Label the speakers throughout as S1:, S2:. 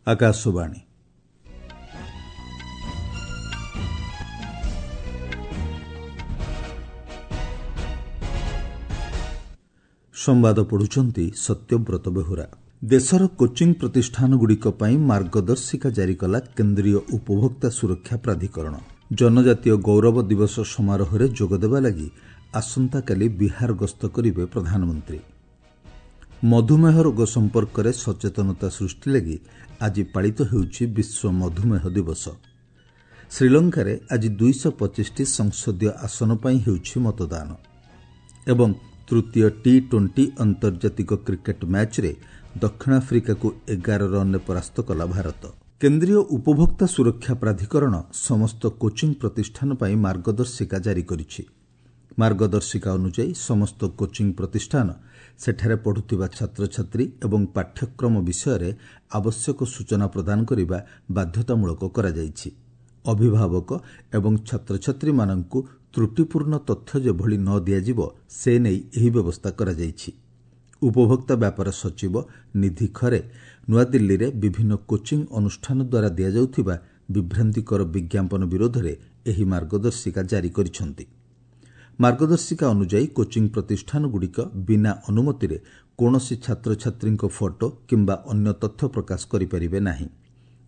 S1: ଆକାଶବାଣୀ। ସମ୍ବାଦ ପଢ଼ୁଛନ୍ତି ସତ୍ୟବ୍ରତ ବେହୁରା। ଦେଶର କୋଚିଂ ପ୍ରତିଷ୍ଠାନଗୁଡ଼ିକ ପାଇଁ ମାର୍ଗଦର୍ଶିକା ଜାରି କଲା କେନ୍ଦ୍ରୀୟ ଉପଭୋକ୍ତା ସୁରକ୍ଷା ପ୍ରାଧିକରଣ। ଜନଜାତୀୟ ଗୌରବ ଦିବସ ସମାରୋହରେ ଯୋଗଦେବା ଲାଗି ଆସନ୍ତାକାଲି ବିହାର ଗସ୍ତ କରିବେ ପ୍ରଧାନମନ୍ତ୍ରୀ। ମଧୁମେହ ରୋଗ ସମ୍ପର୍କରେ ସଚେତନତା ସୃଷ୍ଟି ଲାଗି ଆଜି ପାଳିତ ହେଉଛି ବିଶ୍ୱ ମଧୁମେହ ଦିବସ। ଶ୍ରୀଲଙ୍କାରେ ଆଜି 225ଟି ସଂସଦୀୟ ଆସନ ପାଇଁ ହେଉଛି ମତଦାନ। ଏବଂ ତୃତୀୟ ଟି-20 ଆନ୍ତର୍ଜାତିକ କ୍ରିକେଟ୍ ମ୍ୟାଚ୍ରେ ଦକ୍ଷିଣ ଆଫ୍ରିକାକୁ 11 ରନ୍ରେ ପରାସ୍ତ କଲା ଭାରତ। କେନ୍ଦ୍ରୀୟ ଉପଭୋକ୍ତା ସୁରକ୍ଷା ପ୍ରାଧିକରଣ ସମସ୍ତ କୋଚିଂ ପ୍ରତିଷ୍ଠାନ ପାଇଁ ମାର୍ଗଦର୍ଶିକା ଜାରି କରିଛି। ମାର୍ଗଦର୍ଶିକା ଅନୁଯାୟୀ ସମସ୍ତ କୋଚିଂ ପ୍ରତିଷ୍ଠାନ ସେଠାରେ ପଢ଼ୁଥିବା ଛାତ୍ରଛାତ୍ରୀ ଏବଂ ପାଠ୍ୟକ୍ରମ ବିଷୟରେ ଆବଶ୍ୟକ ସୂଚନା ପ୍ରଦାନ କରିବା ବାଧ୍ୟତାମୂଳକ କରାଯାଇଛି। ଅଭିଭାବକ ଏବଂ ଛାତ୍ରଛାତ୍ରୀମାନଙ୍କୁ ତ୍ରୁଟିପୂର୍ଣ୍ଣ ତଥ୍ୟ ଯେଭଳି ନ ଦିଆଯିବ ସେ ନେଇ ଏହି ବ୍ୟବସ୍ଥା କରାଯାଇଛି। ଉପଭୋକ୍ତା ବ୍ୟାପାର ସଚିବ ନିଧି ଖରେ ନୂଆଦିଲ୍ଲୀରେ ବିଭିନ୍ନ କୋଚିଂ ଅନୁଷ୍ଠାନ ଦ୍ୱାରା ଦିଆଯାଉଥିବା ବିଭ୍ରାନ୍ତିକର ବିଜ୍ଞାପନ ବିରୋଧରେ ଏହି ମାର୍ଗଦର୍ଶିକା ଜାରି କରିଛନ୍ତି। ମାର୍ଗଦର୍ଶିକା ଅନୁଯାୟୀ କୋଚିଂ ପ୍ରତିଷ୍ଠାନଗୁଡ଼ିକ ବିନା ଅନୁମତିରେ କୌଣସି ଛାତ୍ରଛାତ୍ରୀଙ୍କ ଫଟୋ କିମ୍ବା ଅନ୍ୟ ତଥ୍ୟ ପ୍ରକାଶ କରିପାରିବେ ନାହିଁ।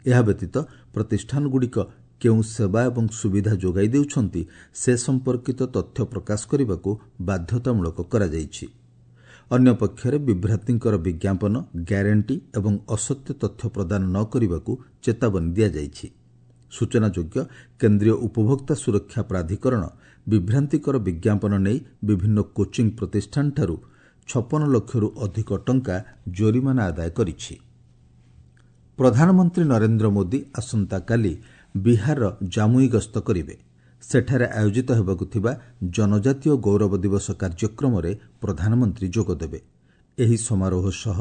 S1: ଏହା ବ୍ୟତୀତ ପ୍ରତିଷ୍ଠାନଗୁଡ଼ିକ କେଉଁ ସେବା ଏବଂ ସୁବିଧା ଯୋଗାଇ ଦେଉଛନ୍ତି ସେ ସମ୍ପର୍କିତ ତଥ୍ୟ ପ୍ରକାଶ କରିବାକୁ ବାଧ୍ୟତାମୂଳକ କରାଯାଇଛି। ଅନ୍ୟପକ୍ଷରେ ବିଭ୍ରାନ୍ତିକର ବିଜ୍ଞାପନ, ଗ୍ୟାରେଣ୍ଟି ଏବଂ ଅସତ୍ୟ ତଥ୍ୟ ପ୍ରଦାନ ନ କରିବାକୁ ଚେତାବନୀ ଦିଆଯାଇଛି। ସୂଚନାଯୋଗ୍ୟ, କେନ୍ଦ୍ରୀୟ ଉପଭୋକ୍ତା ସୁରକ୍ଷା ପ୍ରାଧିକରଣ ବିଭ୍ରାନ୍ତିକର ବିଜ୍ଞାପନ ନେଇ ବିଭିନ୍ନ କୋଚିଂ ପ୍ରତିଷ୍ଠାନଠାରୁ 56 ଲକ୍ଷରୁ ଅଧିକ ଟଙ୍କା ଜୋରିମାନା ଆଦାୟ କରିଛି। ପ୍ରଧାନମନ୍ତ୍ରୀ ନରେନ୍ଦ୍ର ମୋଦି ଆସନ୍ତାକାଲି ବିହାରର ଜାମୁଇ ଗସ୍ତ କରିବେ। ସେଠାରେ ଆୟୋଜିତ ହେବାକୁ ଥିବା ଜନଜାତୀୟ ଗୌରବ ଦିବସ କାର୍ଯ୍ୟକ୍ରମରେ ପ୍ରଧାନମନ୍ତ୍ରୀ ଯୋଗଦେବେ। ଏହି ସମାରୋହ ସହ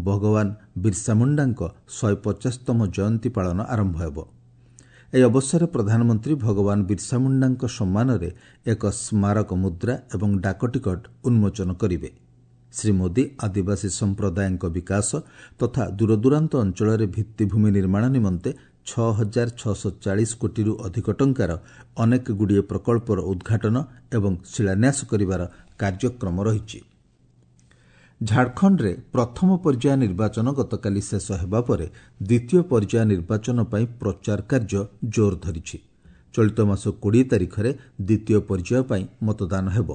S1: ଭଗବାନ ବିର୍ସା ମୁଣ୍ଡାଙ୍କ 150ତମ ଜୟନ୍ତୀ ପାଳନ ଆରମ୍ଭ ହେବ। ଏହି ଅବସରରେ ପ୍ରଧାନମନ୍ତ୍ରୀ ଭଗବାନ ବିର୍ସା ମୁଣ୍ଡାଙ୍କ ସମ୍ମାନରେ ଏକ ସ୍ମାରକ ମୁଦ୍ରା ଏବଂ ଡାକଟିକଟ ଉନ୍ମୋଚନ କରିବେ। ଶ୍ରୀ ମୋଦି ଆଦିବାସୀ ସମ୍ପ୍ରଦାୟଙ୍କ ବିକାଶ ତଥା ଦୂରଦୂରାନ୍ତ ଅଞ୍ଚଳରେ ଭିତ୍ତିଭୂମି ନିର୍ମାଣ ନିମନ୍ତେ 6640 କୋଟିରୁ ଅଧିକ ଟଙ୍କାର ଅନେକଗୁଡ଼ିଏ ପ୍ରକଳ୍ପର ଉଦ୍ଘାଟନ ଏବଂ ଶିଳାନ୍ୟାସ କରିବାର କାର୍ଯ୍ୟକ୍ରମ ରହିଛି। ଝାଡ଼ଖଣ୍ଡରେ ପ୍ରଥମ ପର୍ଯ୍ୟାୟ ନିର୍ବାଚନ ଗତକାଲି ଶେଷ ହେବା ପରେ ଦ୍ୱିତୀୟ ପର୍ଯ୍ୟାୟ ନିର୍ବାଚନ ପାଇଁ ପ୍ରଚାର କାର୍ଯ୍ୟ ଜୋର ଧରିଛି। ଚଳିତ ମାସ 20 ତାରିଖରେ ଦ୍ୱିତୀୟ ପର୍ଯ୍ୟାୟ ପାଇଁ ମତଦାନ ହେବ।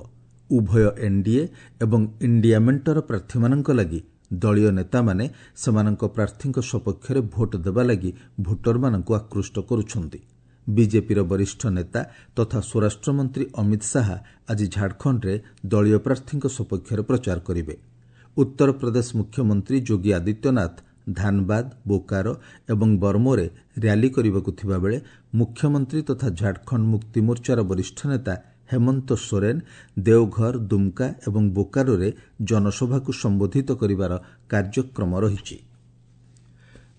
S1: ଉଭୟ ଏନ୍ଡିଏ ଏବଂ ଇଣ୍ଡିଆ ମେଣ୍ଟର ପ୍ରାର୍ଥୀମାନଙ୍କ ଲାଗି ଦଳୀୟ ନେତାମାନେ ସେମାନଙ୍କ ପ୍ରାର୍ଥୀଙ୍କ ସପକ୍ଷରେ ଭୋଟ ଦେବା ଲାଗି ଭୋଟରମାନଙ୍କୁ ଆକୃଷ୍ଟ କରୁଛନ୍ତି। ବିଜେପିର ବରିଷ୍ଠ ନେତା ତଥା ସ୍ୱରାଷ୍ଟ୍ରମନ୍ତ୍ରୀ ଅମିତ ଶାହା ଆଜି ଝାଡ଼ଖଣ୍ଡରେ ଦଳୀୟ ପ୍ରାର୍ଥୀଙ୍କ ସପକ୍ଷରେ ପ୍ରଚାର କରିବେ। ଉତ୍ତରପ୍ରଦେଶ ମୁଖ୍ୟମନ୍ତ୍ରୀ ଯୋଗୀ ଆଦିତ୍ୟନାଥ ଧାନବାଦ, ବୋକାରୋ ଏବଂ ବର୍ମୋରେ ର୍ୟାଲି କରିବାକୁ ଥିବାବେଳେ ମୁଖ୍ୟମନ୍ତ୍ରୀ ତଥା ଝାଡ଼ଖଣ୍ଡ ମୁକ୍ତି ମୋର୍ଚ୍ଚାର ବରିଷ୍ଠ ନେତା ହେମନ୍ତ ସୋରେନ ଦେଓଘର, ଦୁମ୍କା ଏବଂ ବୋକାରୋରେ ଜନସଭାକୁ ସମ୍ବୋଧିତ କରିବାର କାର୍ଯ୍ୟକ୍ରମ ରହିଛି।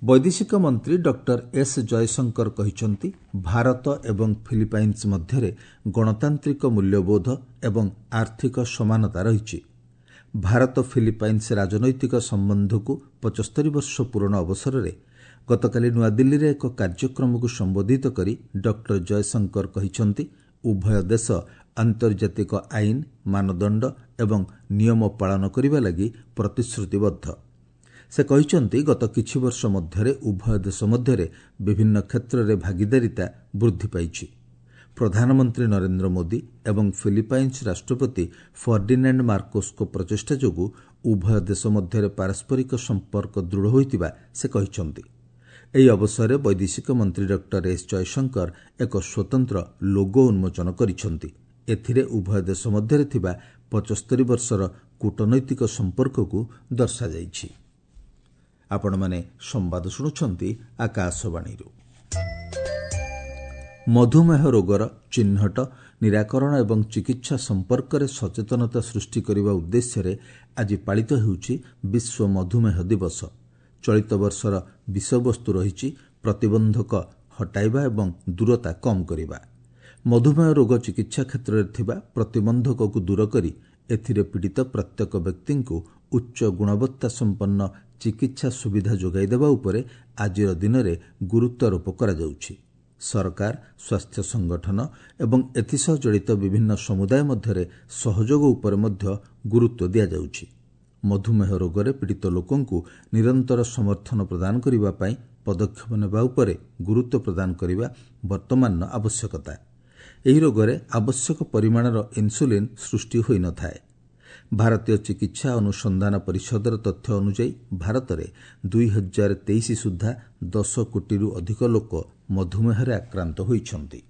S1: ବୈଦେଶିକ ମନ୍ତ୍ରୀ ଡକ୍ଟର ଏସ୍ ଜୟଶଙ୍କର କହିଛନ୍ତି, ଭାରତ ଏବଂ ଫିଲିପାଇନ୍ସ ମଧ୍ୟରେ ଗଣତାନ୍ତ୍ରିକ ମୂଲ୍ୟବୋଧ ଏବଂ ଆର୍ଥିକ ସମାନତା ରହିଛି। ଭାରତ ଫିଲିପାଇନ୍ସ ରାଜନୈତିକ ସମ୍ବନ୍ଧକୁ 75 ବର୍ଷ ପୂରଣ ଅବସରରେ ଗତକାଲି ନୂଆଦିଲ୍ଲୀରେ ଏକ କାର୍ଯ୍ୟକ୍ରମକୁ ସମ୍ବୋଧିତ କରି ଡକ୍ଟର ଜୟଶଙ୍କର କହିଛନ୍ତି, ଉଭୟ ଦେଶ ଆନ୍ତର୍ଜାତିକ ଆଇନ, ମାନଦଣ୍ଡ ଏବଂ ନିୟମ ପାଳନ କରିବା ଲାଗି ପ୍ରତିଶ୍ରୁତିବଦ୍ଧ। ସେ କହିଛନ୍ତି, ଗତ କିଛି ବର୍ଷ ମଧ୍ୟରେ ଉଭୟ ଦେଶ ମଧ୍ୟରେ ବିଭିନ୍ନ କ୍ଷେତ୍ରରେ ଭାଗିଦାରିତା ବୃଦ୍ଧି ପାଇଛି। ପ୍ରଧାନମନ୍ତ୍ରୀ ନରେନ୍ଦ୍ର ମୋଦି ଏବଂ ଫିଲିପାଇନ୍ସ ରାଷ୍ଟ୍ରପତି ଫର୍ଡିନାଣ୍ଡ ମାର୍କୋସଙ୍କ ପ୍ରଚେଷ୍ଟା ଯୋଗୁଁ ଉଭୟ ଦେଶ ମଧ୍ୟରେ ପାରସ୍ପରିକ ସମ୍ପର୍କ ଦୃଢ଼ ହୋଇଥିବା ସେ କହିଛନ୍ତି। ଏହି ଅବସରରେ ବୈଦେଶିକ ମନ୍ତ୍ରୀ ଡକ୍ଟର ଏସ୍ ଜୟଶଙ୍କର ଏକ ସ୍ୱତନ୍ତ୍ର ଲୋଗୋ ଉନ୍ମୋଚନ କରିଛନ୍ତି। ଏଥିରେ ଉଭୟ ଦେଶ ମଧ୍ୟରେ ଥିବା 75 ବର୍ଷର କୂଟନୈତିକ ସମ୍ପର୍କକୁ ଦର୍ଶାଯାଇଛି। ଆପଣମାନେ ସମ୍ବାଦ ଶୁଣୁଛନ୍ତି ଆକାଶବାଣୀରୁ। ମଧୁମେହ ରୋଗର ଚିହ୍ନଟ, ନିରାକରଣ ଏବଂ ଚିକିତ୍ସା ସମ୍ପର୍କରେ ସଚେତନତା ସୃଷ୍ଟି କରିବା ଉଦ୍ଦେଶ୍ୟରେ ଆଜି ପାଳିତ ହେଉଛି ବିଶ୍ୱ ମଧୁମେହ ଦିବସ। ଚଳିତ ବର୍ଷର ବିଷୟବସ୍ତୁ ରହିଛି ପ୍ରତିବନ୍ଧକ ହଟାଇବା ଏବଂ ଦୂରତା କମ୍ କରିବା। ମଧୁମେହ ରୋଗ ଚିକିତ୍ସା କ୍ଷେତ୍ରରେ ଥିବା ପ୍ରତିବନ୍ଧକକୁ ଦୂର କରି ଏଥିରେ ପୀଡ଼ିତ ପ୍ରତ୍ୟେକ ବ୍ୟକ୍ତିଙ୍କୁ ଉଚ୍ଚ ଗୁଣବତ୍ତା ସମ୍ପନ୍ନ ଚିକିତ୍ସା ସୁବିଧା ଯୋଗାଇ ଦେବା ଉପରେ ଆଜିର ଦିନରେ ଗୁରୁତ୍ୱାରୋପ କରାଯାଉଛି। ସରକାର, ସ୍ୱାସ୍ଥ୍ୟ ସଂଗଠନ ଏବଂ ଏଥିସହ ଜଡ଼ିତ ବିଭିନ୍ନ ସମୁଦାୟ ମଧ୍ୟରେ ସହଯୋଗ ଉପରେ ମଧ୍ୟ ଗୁରୁତ୍ୱ ଦିଆଯାଉଛି। ମଧୁମେହ ରୋଗରେ ପୀଡ଼ିତ ଲୋକଙ୍କୁ ନିରନ୍ତର ସମର୍ଥନ ପ୍ରଦାନ କରିବା ପାଇଁ ପଦକ୍ଷେପ ନେବା ଉପରେ ଗୁରୁତ୍ୱ ପ୍ରଦାନ କରିବା ବର୍ତ୍ତମାନର ଆବଶ୍ୟକତା। ଏହି ରୋଗରେ ଆବଶ୍ୟକ ପରିମାଣର ଇନ୍ସୁଲିନ୍ ସୃଷ୍ଟି ହୋଇନଥାଏ। ଭାରତୀୟ ଚିକିତ୍ସା ଅନୁସନ୍ଧାନ ପରିଷଦର ତଥ୍ୟ ଅନୁଯାୟୀ ଭାରତରେ 2023 ସୁଦ୍ଧା 10 କୋଟିରୁ ଅଧିକ ଲୋକ ମଧୁମେହରେ ଆକ୍ରାନ୍ତ ହୋଇଛନ୍ତି।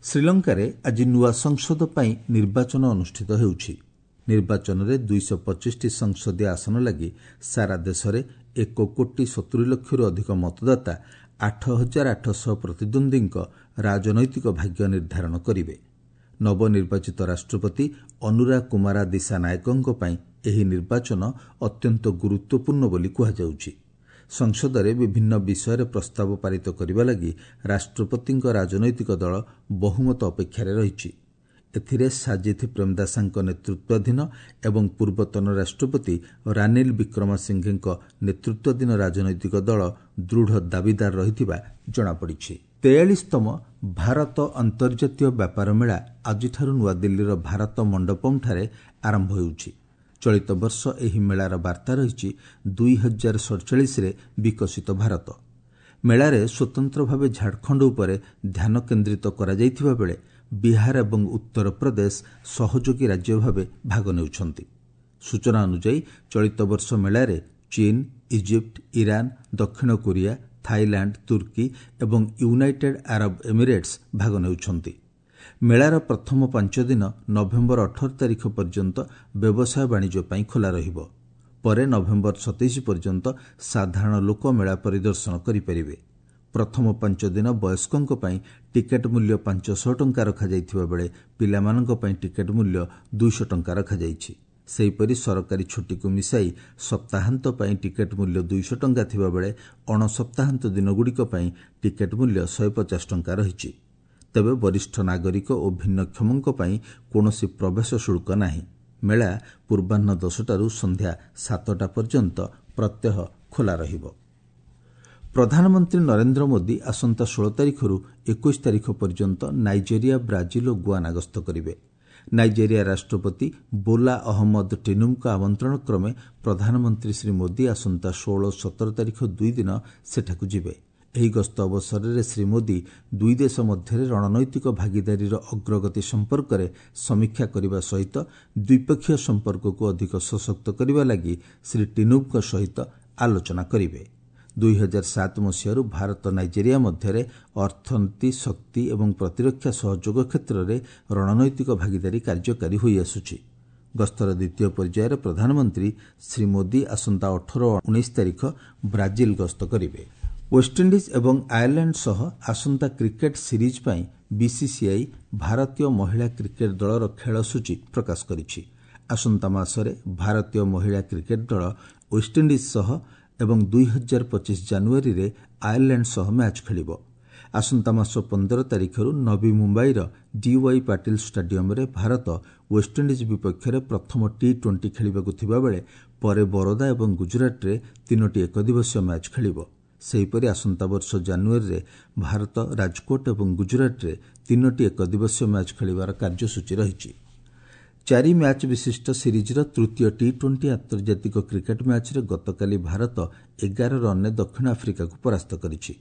S1: ଶ୍ରୀଲଙ୍କାରେ ଆଜି ନୂଆ ସଂସଦ ପାଇଁ ନିର୍ବାଚନ ଅନୁଷ୍ଠିତ ହେଉଛି। ନିର୍ବାଚନରେ 225ଟି ସଂସଦୀୟ ଆସନ ଲାଗି ସାରା ଦେଶରେ 1 କୋଟି 70 ଲକ୍ଷରୁ ଅଧିକ ମତଦାତା 8800 ପ୍ରତିଦ୍ୱନ୍ଦ୍ୱୀଙ୍କ ରାଜନୈତିକ ଭାଗ୍ୟ ନିର୍ଦ୍ଧାରଣ କରିବେ। ନବନିର୍ବାଚିତ ରାଷ୍ଟ୍ରପତି ଅନୁରା କୁମାରା ଦିଶାନାୟକଙ୍କ ପାଇଁ ଏହି ନିର୍ବାଚନ ଅତ୍ୟନ୍ତ ଗୁରୁତ୍ୱପୂର୍ଣ୍ଣ ବୋଲି କୁହାଯାଉଛି। ସଂସଦରେ ବିଭିନ୍ନ ବିଷୟରେ ପ୍ରସ୍ତାବ ପାରିତ କରିବା ଲାଗି ରାଷ୍ଟ୍ରପତିଙ୍କ ରାଜନୈତିକ ଦଳ ବହୁମତ ଅପେକ୍ଷାରେ ରହିଛି। ଏଥିରେ ସାଜିଥ ପ୍ରେମଦାସାଙ୍କ ନେତୃତ୍ୱାଧୀନ ଏବଂ ପୂର୍ବତନ ରାଷ୍ଟ୍ରପତି ରାନିଲ ବିକ୍ରମାସିଂଘେଙ୍କ ନେତୃତ୍ୱାଧୀନ ରାଜନୈତିକ ଦଳ ଦୃଢ଼ ଦାବିଦାର ରହିଥିବା ଜଣାପଡ଼ିଛି। 43ତମ ଭାରତ ଅନ୍ତର୍ଜାତୀୟ ବ୍ୟାପାର ମେଳା ଆଜିଠାରୁ ନୂଆଦିଲ୍ଲୀର ଭାରତ ମଣ୍ଡପମ୍ଠାରେ ଆରମ୍ଭ ହେଉଛି। ଚଳିତ ବର୍ଷ ଏହି ମେଳାର ବାର୍ତ୍ତା ରହିଛି 2047ରେ ବିକଶିତ ଭାରତ। ମେଳାରେ ସ୍ୱତନ୍ତ୍ର ଭାବେ ଝାଡ଼ଖଣ୍ଡ ଉପରେ ଧ୍ୟାନ କେନ୍ଦ୍ରିତ କରାଯାଇଥିବା ବେଳେ ବିହାର ଏବଂ ଉତ୍ତରପ୍ରଦେଶ ସହଯୋଗୀ ରାଜ୍ୟ ଭାବେ ଭାଗ ନେଉଛନ୍ତି। ସୂଚନା ଅନୁଯାୟୀ ଚଳିତ ବର୍ଷ ମେଳାରେ ଚୀନ, ଇଜିପ୍ଟ, ଇରାନ, ଦକ୍ଷିଣ କୋରିଆ, ଥାଇଲାଣ୍ଡ, ତୁର୍କୀ ଏବଂ ୟୁନାଇଟେଡ୍ ଆରବ ଏମିରେଟ୍ସ ଭାଗ ନେଉଛନ୍ତି। ମେଳାର ପ୍ରଥମ 5 ଦିନ ନଭେମ୍ବର 18 ତାରିଖ ପର୍ଯ୍ୟନ୍ତ ବ୍ୟବସାୟ ବାଣିଜ୍ୟ ପାଇଁ ଖୋଲା ରହିବ। ପରେ ନଭେମ୍ବର 27 ପର୍ଯ୍ୟନ୍ତ ସାଧାରଣ ଲୋକ ମେଳା ପରିଦର୍ଶନ କରିପାରିବେ। ପ୍ରଥମ 5 ଦିନ ବୟସ୍କଙ୍କ ପାଇଁ ଟିକେଟ୍ ମୂଲ୍ୟ 500 ଟଙ୍କା ରଖାଯାଇଥିବା ବେଳେ ପିଲାମାନଙ୍କ ପାଇଁ ଟିକେଟ୍ ମୂଲ୍ୟ 200 ଟଙ୍କା ରଖାଯାଇଛି। ସେହିପରି ସରକାରୀ ଛୁଟିକୁ ମିଶାଇ ସପ୍ତାହାନ୍ତ ପାଇଁ ଟିକେଟ୍ ମୂଲ୍ୟ 200 ଟଙ୍କା ଥିବାବେଳେ ଅଣସପ୍ତାହାନ୍ତ ଦିନଗୁଡ଼ିକ ପାଇଁ ଟିକେଟ୍ ମୂଲ୍ୟ 150 ଟଙ୍କା ରହିଛି। ତେବେ ବରିଷ୍ଠ ନାଗରିକ ଓ ଭିନ୍ନକ୍ଷମଙ୍କ ପାଇଁ କୌଣସି ପ୍ରବେଶ ଶୁଳ୍କ ନାହିଁ। ମେଳା ପୂର୍ବାହ୍ନ 10ଟାରୁ ସନ୍ଧ୍ୟା 7ଟା ପର୍ଯ୍ୟନ୍ତ ପ୍ରତ୍ୟହ ଖୋଲା ରହିବ। ପ୍ରଧାନମନ୍ତ୍ରୀ ନରେନ୍ଦ୍ର ମୋଦି ଆସନ୍ତା 16 ତାରିଖରୁ 21 ତାରିଖ ପର୍ଯ୍ୟନ୍ତ ନାଇଜେରିଆ, ବ୍ରାଜିଲ ଓ ଗୁଆନା ଗସ୍ତ କରିବେ। ନାଇଜେରିଆ ରାଷ୍ଟ୍ରପତି ବୋଲା ଅହମ୍ମଦ ଟିନୁବୁଙ୍କ ଆମନ୍ତ୍ରଣ କ୍ରମେ ପ୍ରଧାନମନ୍ତ୍ରୀ ଶ୍ରୀ ମୋଦି ଆସନ୍ତା 16 ଓ 17 ତାରିଖ 2 ଦିନ ସେଠାକୁ ଯିବେ। ଏହି ଗସ୍ତ ଅବସରରେ ଶ୍ରୀ ମୋଦି ଦୁଇ ଦେଶ ମଧ୍ୟରେ ରଣନୈତିକ ଭାଗିଦାରୀର ଅଗ୍ରଗତି ସମ୍ପର୍କରେ ସମୀକ୍ଷା କରିବା ସହିତ ଦ୍ୱିପକ୍ଷୀୟ ସମ୍ପର୍କକୁ ଅଧିକ ସଶକ୍ତ କରିବା ଲାଗି ଶ୍ରୀ ଟିନୁବୁଙ୍କ ସହିତ ଆଲୋଚନା କରିବେ। 2007 ମସିହାରୁ ଭାରତ ନାଇଜେରିଆ ମଧ୍ୟରେ ଅର୍ଥନୀତି, ଶକ୍ତି ଏବଂ ପ୍ରତିରକ୍ଷା ସହଯୋଗ କ୍ଷେତ୍ରରେ ରଣନୈତିକ ଭାଗିଦାରୀ କାର୍ଯ୍ୟକାରୀ ହୋଇଆସୁଛି। ଗସ୍ତର ଦ୍ୱିତୀୟ ପର୍ଯ୍ୟାୟରେ ପ୍ରଧାନମନ୍ତ୍ରୀ ଶ୍ରୀ ମୋଦି ଆସନ୍ତା 18 ଓ 19 ତାରିଖ ବ୍ରାଜିଲ ଗସ୍ତ କରିବେ। ୱେଷ୍ଟଇଣ୍ଡିଜ୍ ଏବଂ ଆୟାରଲାଣ୍ଡ ସହ ଆସନ୍ତା କ୍ରିକେଟ୍ ସିରିଜ୍ ପାଇଁ ବିସିସିଆଇ ଭାରତୀୟ ମହିଳା କ୍ରିକେଟ୍ ଦଳର ଖେଳସୂଚୀ ପ୍ରକାଶ କରିଛି। ଆସନ୍ତା ମାସରେ ଭାରତୀୟ ମହିଳା କ୍ରିକେଟ୍ ଦଳ ୱେଷ୍ଟଇଣ୍ଡିଜ୍ ସହ ଏବଂ 2025 ଜାନୁଆରୀରେ ଆୟାରଲାଣ୍ଡ ସହ ମ୍ୟାଚ୍ ଖେଳିବ। ଆସନ୍ତା ମାସ 15 ତାରିଖରୁ ନବୀ ମୁମ୍ବାଇର ଡିୱାଇ ପାଟିଲ ଷ୍ଟାଡିୟମରେ ଭାରତ ୱେଷ୍ଟଇଣ୍ଡିଜ୍ ବିପକ୍ଷରେ ପ୍ରଥମ ଟି-20 ଖେଳିବାକୁ ଥିବାବେଳେ ପରେ ବରୋଦା ଏବଂ ଗୁଜରାଟରେ 3ଟି ଏକଦିବସୀୟ ମ୍ୟାଚ୍ ଖେଳିବ। ସେହିପରି ଆସନ୍ତା ବର୍ଷ ଜାନୁଆରୀରେ ଭାରତ ରାଜକୋଟ ଏବଂ ଗୁଜରାଟରେ 3ଟି ଏକଦିବସୀୟ ମ୍ୟାଚ୍ ଖେଳିବାର କାର୍ଯ୍ୟସୂଚୀ ରହିଛି। 4 ମ୍ୟାଚ୍ ବିଶିଷ୍ଟ ସିରିଜ୍ର ତୃତୀୟ ଟି-20 ଆନ୍ତର୍ଜାତିକ କ୍ରିକେଟ୍ ମ୍ୟାଚ୍ରେ ଗତକାଲି ଭାରତ 11 ରନ୍ରେ ଦକ୍ଷିଣ ଆଫ୍ରିକାକୁ ପରାସ୍ତ କରିଛି।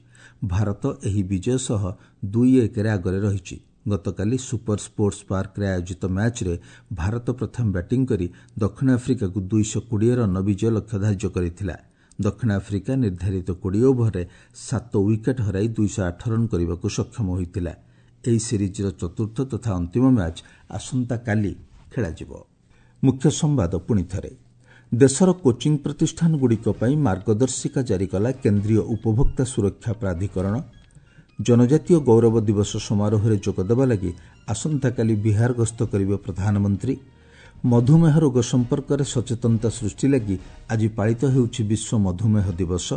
S1: ଭାରତ ଏହି ବିଜୟ ସହ 2-1ରେ ଆଗରେ ରହିଛି। ଗତକାଲି ସୁପର ସ୍ପୋର୍ଟସ୍ ପାର୍କରେ ଆୟୋଜିତ ମ୍ୟାଚ୍ରେ ଭାରତ ପ୍ରଥମେ ବ୍ୟାଟିଂ କରି ଦକ୍ଷିଣ ଆଫ୍ରିକାକୁ 220 ରନ୍ର ବିଜୟ ଲକ୍ଷ୍ୟ ଧାର୍ଯ୍ୟ କରିଥିଲା। ଦକ୍ଷିଣ ଆଫ୍ରିକା ନିର୍ଦ୍ଧାରିତ 20 ଓଭରରେ 7 ୱିକେଟ୍ ହରାଇ 208 ରନ୍ କରିବାକୁ ସକ୍ଷମ ହୋଇଥିଲା। ଏହି ସିରିଜ୍ର ଚତୁର୍ଥ ତଥା ଅନ୍ତିମ ମ୍ୟାଚ୍ ଆସନ୍ତାକାଲି ଖେଳାଯିବ। ମୁଖ୍ୟ ସମ୍ବାଦ ପୁଣିଥରେ। ଦେଶର କୋଚିଂ ପ୍ରତିଷ୍ଠାନଗୁଡ଼ିକ ପାଇଁ ମାର୍ଗଦର୍ଶିକା ଜାରି କଲା କେନ୍ଦ୍ରୀୟ ଉପଭୋକ୍ତା ସୁରକ୍ଷା ପ୍ରାଧିକରଣ। ଜନଜାତୀୟ ଗୌରବ ଦିବସ ସମାରୋହରେ ଯୋଗଦେବା ଲାଗି ଆସନ୍ତାକାଲି ବିହାର ଗସ୍ତ କରିବେ ପ୍ରଧାନମନ୍ତ୍ରୀ। ମଧୁମେହ ରୋଗ ସମ୍ପର୍କରେ ସଚେତନତା ସୃଷ୍ଟି ଲାଗି ଆଜି ପାଳିତ ହେଉଛି ବିଶ୍ୱ ମଧୁମେହ ଦିବସ।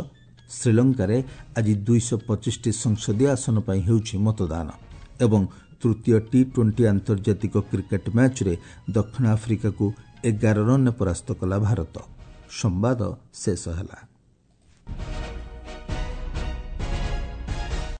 S1: ଶ୍ରୀଲଙ୍କାରେ ଆଜି 225ଟି ସଂସଦୀୟ ଆସନ ପାଇଁ ହେଉଛି ମତଦାନ। ଏବଂ ତୃତୀୟ ଟି-20 ଆନ୍ତର୍ଜାତିକ କ୍ରିକେଟ୍ ମ୍ୟାଚ୍ରେ ଦକ୍ଷିଣ ଆଫ୍ରିକାକୁ 11 ରନ୍ରେ ପରାସ୍ତ କଲା ଭାରତ। ସମ୍ବାଦ ଶେଷ ହେଲା।